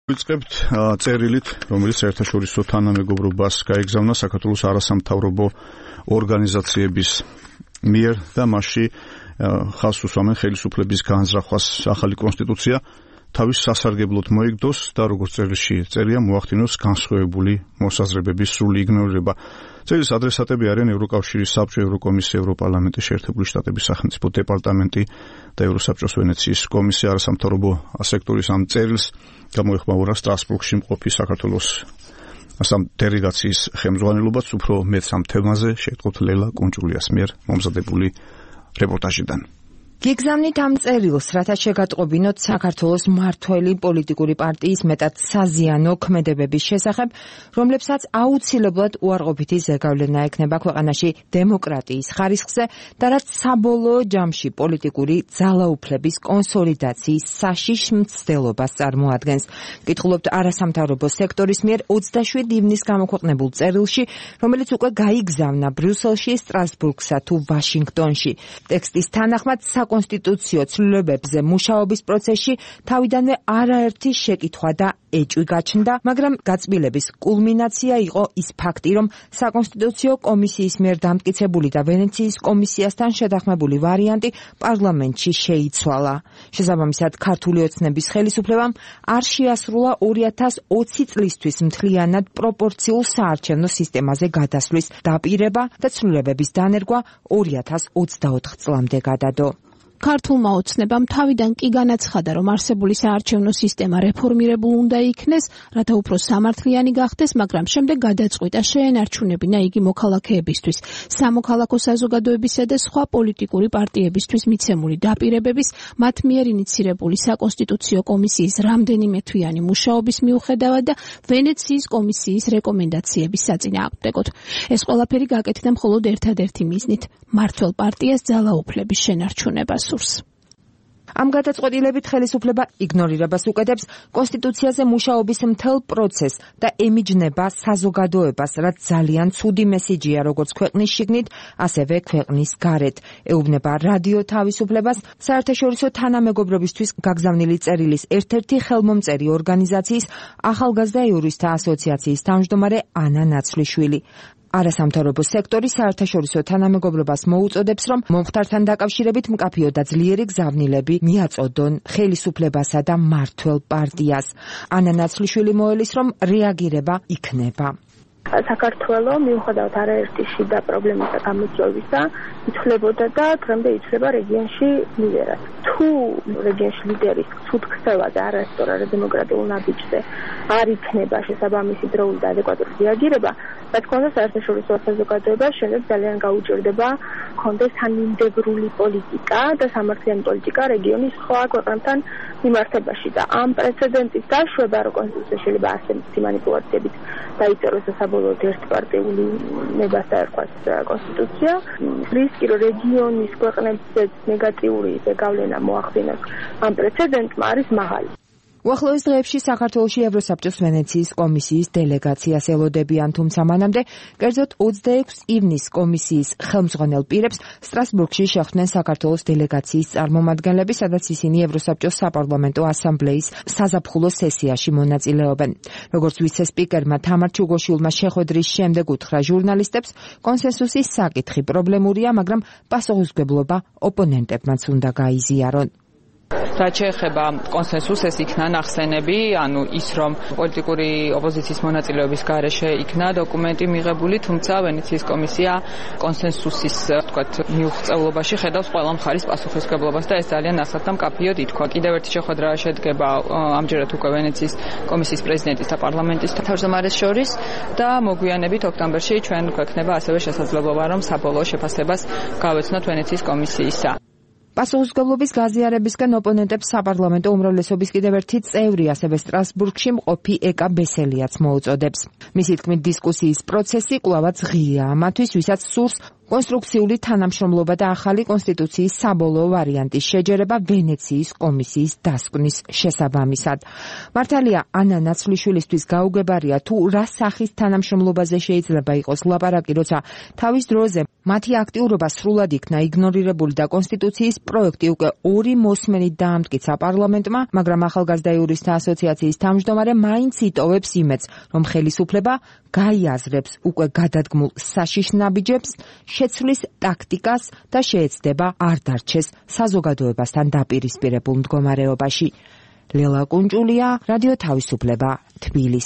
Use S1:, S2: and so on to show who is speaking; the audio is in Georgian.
S1: ვიწყებთ წერილით, რომელიც საერთაშორისო თანამეგობრობას გაეგზავნა საქართველოს არასამთავრობო ორგანიზაციების მიერ და მასში ხაზს უსვამენ ხელისუფლების განზრახვას ახალი კონსტიტუცია თავის სასარგებლოდ მოიგდოს და როგორც წერილში წერია მოახდინოს განსხვავებული მოსაზრებების სრული იგნორირება. წერილის ადრესატები არიან ევროკავშირის საბჭო, ევროკომისია, ევროპარლამენტის შეერთებული შტატების სახელმწიფო დეპარტამენტი და ევროსაბჭოს ვენეციის კომისია. არასამთავრობო სექტორის ამ წერილს გამოეხმაურა სტრასბურგში მყოფი საქართველოს დელეგაციის ხელმძღვანელობაც. უფრო მეც ამ თემაზე შევტყობთ ლელა კუნჭულიას მიერ მომზადებული რეპორტაჟიდან.
S2: გიგზავნით ამ წერილს, რათა შეგატყობინოთ საქართველოს მმართველი პოლიტიკური პარტიის მეტად საზიანო ქმედებების შესახებ, რომლებსაც აუცილებლად უარყოფითი ზეგავლენა ექნება ქვეყანაში დემოკრატიის ხარისხზე და რაც საბოლოო ჯამში პოლიტიკური ძალაუფლების კონსოლიდაციის საშიშ მცდელობას წარმოადგენს. ვკითხულობთ არასამთავრობო სექტორის მიერ 27 ივნისს გამოქვეყნებულ წერილში, რომელიც უკვე გაიგზავნა ბრიუსელში, სტრასბურგსა თუ ვაშინგტონში. ტექსტის თანახმად საკონსტიტუციო ცვლილებებზე მუშაობის პროცესში თავიდანვე არაერთი შეკითხვა და ეჭვი გაჩნდა, მაგრამ გაწმილების კულმინაცია იყო ის ფაქტი, რომ საკონსტიტუციო კომისიის მიერ დამტკიცებული და ვენეციის კომისიასთან შეთანხმებული ვარიანტი პარლამენტში შეიცვალა. შესაბამისად, ქართული ოცნების ხელისუფლებამ არ შეასრულა 2020 წლისთვის მთლიანად პროპორციულ საარჩევნო სისტემაზე გადასვლის დაპირება და ცვლილებების დანერგვა 2024 წლამდე გადადო.
S3: ქართულმა ოცნებამ თავიდან კი განაცხადა, რომ არსებული საარჩევნო სისტემა რეფორმირებულ უნდა იქნეს, რათა უფრო სამართლიანი გახდეს, მაგრამ შემდეგ გადაწყვიტა შეენარჩუნებინა იგი მოქალაქეებისთვის, სამოქალაქო საზოგადოებისა და სხვა პოლიტიკური პარტიებისთვის მიცემული დაპირებების, მათ მიერ ინიცირებული საკონსტიტუციო კომისიის რამდენიმე თვიანი მუშაობის მიუხედავად და ვენეციის კომისიის რეკომენდაციების საწინააღმდეგოდ. ეს ყველაფერი გაკეთდა მხოლოდ ერთადერთი მიზნით, მმართველ პარტიას ძალაუფლების შენარჩუნებას. ამ გადაწყვეტილებით ხელისუფლება იგნორირებას უკეთებს კონსტიტუციაზე მუშაობის მთელ პროცესს და ემიჯნება საზოგადოებას, რაც ძალიან ცუდი მესიჯია როგორც ქვეყნის შიგნით, ასევე ქვეყნის გარეთ. ეუბნება რადიო თავისუფლებას, საერთაშორისო თანამეგობრობისთვის გაგზავნილი წერილის ერთ-ერთი ხელმომწერი ორგანიზაციის ახალგაზრდა იურისტთა ასოციაციის თავმჯდომარე ანა ნაცვლიშვილი. არასამთავრობო სექტორი საერთაშორისო თანამეგობრობას მოუწოდებს, რომ მომხდართან დაკავშირებით მკაფიო და ძლიერი გზავნილები მიაწოდონ ხელისუფლებასა და მმართველ პარტიას. ანა ნაცვლიშვილი მოელის, რომ რეაგირება იქნება.
S4: საქართველოს მიუხედავად არაერთი შიდა პრობლემისა გამოწვევისა იცვლებოდა და დღემდე იცვლება რეგიონში ლიდერად. თუ რეგიონში ლიდერის ცუდ ქცევაზე არასწორ არადემოკრატიულ ნაბიჯზე არ იქნება შესაბამისი დროული და ადეკვატური რეაგირება, რა თქმა უნდა საერთაშორისო საზოგადოებას შემდეგ ძალიან გაუჭირდება კონდეს თანმიმდევრული პოლიტიკა და სამართლიანი პოლიტიკა რეგიონის სხვა ქვეყნებთან მიმართებაში და ამ პრეცედენტის დაშვება, რომ კონსტიტუცია შეიძლება ასე მანიპულაციებით დაიწეროს და საბოლოოდ ერთპარტიული ნებას დაერქვას კონსტიტუცია. რისკი, რომ რეგიონის ქვეყნებზე ნეგატიური ზეგავლენა მოახდინოს ამ პრეცედენტმა არის მაღალი.
S2: უახლოეს დღეებში საქართველოში ევროსაბჭოს ვენეციის კომისიის დელეგაციას ელოდებიან, თუმცა მანამდე, კერძოდ 26 ივნისს კომისიის ხელმძღვანელ პირებს სტრასბურგში შეხვდნენ საქართველოს დელეგაციის წარმომადგენლები, სადაც ისინი ევროსაბჭოს საპარლამენტო ასამბლეის საზაფხულო სესიაში მონაწილეობენ. როგორც ვიცე-სპიკერმა თამარ ჩუგოშვილმა შეხვედრის შემდეგ უთხრა ჟურნალისტებს, კონსენსუსის საკითხი პრობლემურია, მაგრამ პასუხისმგებლობა ოპონენტებმაც უნდა გაიზიარონ.
S5: რაც შეეხება კონსენსუსს, ეს იქნა ნახსენები, ანუ ის, რომ პოლიტიკური ოპოზიციის მონაწილეობის გარეშე იქნა დოკუმენტი მიღებული, თუმცა ვენეციის კომისია კონსენსუსის, თქვათ, მიუღწევლობაში ხედავს ყველა მხარის პასუხისმგებლობას და ეს ძალიან ასად და მკაფიოდ ითქვა. კიდევ ერთი შეხვედრა შედგება ამჯერად უკვე ვენეციის კომისიის პრეზიდენტის და პარლამენტის თავმჯდომარეს შორის და მოგვიანებით ოქტომბერში ჩვენ გვექნება ასევე შესაძლებლობა, რომ საბოლოო შეფასებას გავეცნოთ ვენეციის კომისიისა.
S2: პასუხისმგებლობის გაზიარებისგან ოპონენტებს საპარლამენტო უმრავლესობის კიდევ ერთი წევრი, ასევე სტრასბურგში მყოფი ეკა ბესელიაც მოუწოდებს. მისი თქმით, დისკუსიის პროცესი კვლავაც ღიაა მათთვის, ვისაც სურს კონსტრუქციული თანამშრომლობა და ახალი კონსტიტუციის საბოლოო ვარიანტის შეჯერება ვენეციის კომისიის დასკვნის შესაბამისად. მართალია ანა ნაცვლიშვილისთვის გაუგებარია თუ რა სახის თანამშრომლობაზე შეიძლება იყოს ლაპარაკი, როცა თავის დროზე მათი აქტიურობა სრულად იქნა იგნორირებული და კონსტიტუციის პროექტი უკვე 2 მოსმენით დაამტკიცა პარლამენტმა, მაგრამ ახალგაზრდა იურისტთა ასოციაციის თავმჯდომარე მაინც იტოვებს იმედს, რომ ხელისუფლება გაიაზრებს უკვე გადადგმულ საშიშ ნაბიჯებს, შეცვლის ტაქტიკას და შეეცდება არ დარჩეს საზოგადოებასთან დაპირისპირებულ მდგომარეობაში. ლელა კუნჭულია, რადიო თავისუფლება, თბილისი.